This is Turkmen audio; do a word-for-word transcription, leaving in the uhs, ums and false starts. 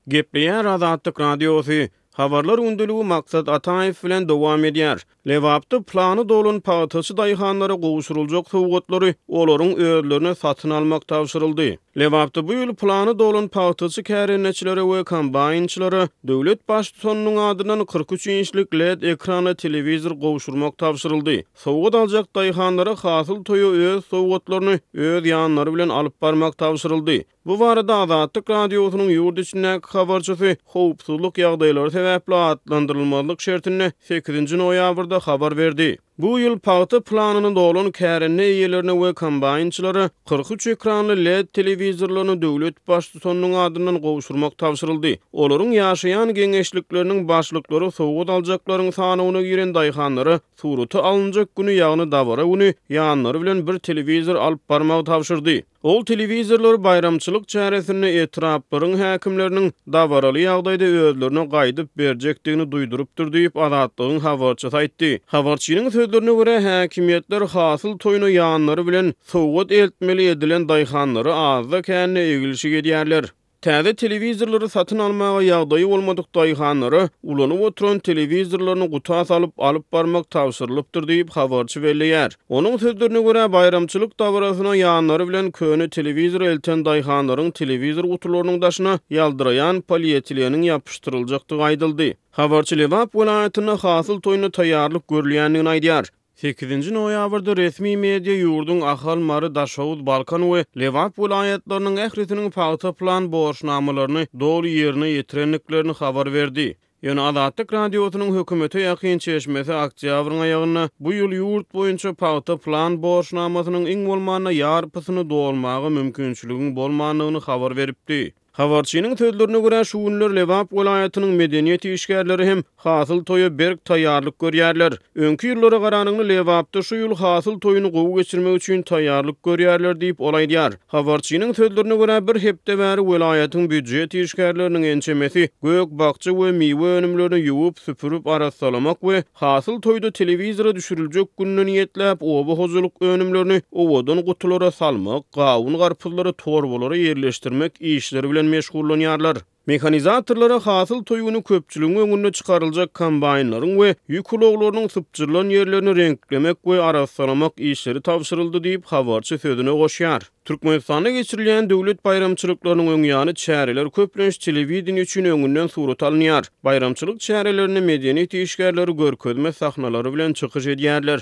Gepleýär Azatlyk Radiosy, Habarlar gündeligi Maksat Ataýew bilen dowam edýär. Lebapda plany dolan pagtaçy daýhanlara gowşuryljak sowgatlary olaryň özlerine satyn almak tabşyryldy. Lebapda bu ýyl plany dolan pagtaçy kärendeçilere we kombaýnçylara döwlet baştutanynyň adyndan kyrk üç inçlik led ekranly telewizor gowşurmak tabşyryldy. Sowgat aljak daýhanlara hasyl toýa öz sowgatlaryny öz ýanlary bilen alyp barmak tabşyryldy. Bu barada Azatlyk Radiosynyň ýurt içindäki habarçysy howpsuzlyk ýagdaýlary sebäpli atlandyrylmazlyk şertinde sekizinji noýabrda habar berdi. Bu ýyl pagta planyny dolan kärende eýelerine we kombaýnçylara kyrk üç ekranly led telewizorlaryny döwlet baştutanynyň adyndan gowşurmak tabşyryldy. Olaryň ýaşaýan geňeşlikleriniň başlyklary sowgat aljaklaryň sanawyna giren daýhanlara surata alynjak güni, ýagny dabara güni ýanlary bilen bir telewizor alyp barmagy tabşyrdy. Ol telewizorlar baýramçylyk çäresinde etraplaryň häkimleriniň dabaraly ýagdaýda özlerine gaýdyp berjekdigini duýdurypdyr diýip, Azatlygyň habarçysy aýtdy. Habarçynyň sözlerine görä, häkimiýetler hasyl toýuna ýanlary bilen sowgat eltmeli edilen daýhanlary azda-kände egilşik edýärler. Täze telewizorlary satyn almaga ýagdaýy bolmadyk daýhanlara ulanyp oturan telewizorlaryny guta salyp alyp barmak tabşyrylypdyr diýip, habarçy belleýär. Onuň sözlerine görä, baýramçylyk dabarasyna ýanlary bilen köne telewizor elten daýhanlaryň telewizor gutularynyň daşyna ýaldyraýan polietileniň ýapyşdyryljakdygy aýdyldy. Habarçy Lebap welaýatynda hasyl toýuna taýýarlyk görülýändigini aýdýar. Sekizinji noýabrda resmi media ýurduň Ahal, Mary, Daşoguz, Balkan we Lebap welaýatlarynyň ählisiniň pagta plan borçnamalaryny doly ýerine ýetirendiklerini habar berdi. Ýöne Azatlyk Radiosynyň hökümete ýakyn çeşmesi oktýabryň aýagynda bu ýyl ýurt boýunça pagta plan borçnamasynyň iň bolmanda ýarpysyny dolmaga mümkinçiligiň bolmandygyny habar beripdi. Habarçynyň sözlerine görä, şu günler Lebap welaýatynyň medeniýet işgärleri hem hasyl toýa berk taýýarlyk görýärler. Öňki ýyllara garanyňda Lebapda şu ýyl hasyl toýuny gowy geçirmek üçin taýýarlyk görýärler diýip, ol aýdýar. Habarçynyň sözlerine görä, bir hepde bäri welaýatyň býujet işgärleriniň ençemesi gök-bakja we miwe önümlerini ýuwup, süpürip, arassalamak we hasyl toýda telewizora düşüriljek gününe niýetläp, oba hojalyk önümlerini owadan gutulara salmak, gawun-garpyzlary torbalara ýerleşdirmek işleri bilen meşgullanýarlar. Mehanizatorlara hasyl toý güni köpçüligiň öňünde çykaryljak kombaýnlaryň we ýük ulaglarynyň sypjyrylan ýerlerini reňklemek we arassalamak işleri tabşyryldy diýip, habarçy sözüne goşýar. Türkmenistanda geçirilýän döwlet baýramçylyklarynyň öň ýany çäreler köplenç telewideniýe üçin öňünden surata alynýar. Baýramçylyk çärelerinde medeniýet işgärleri görkezme sahnalary bilen çykyş edýärler.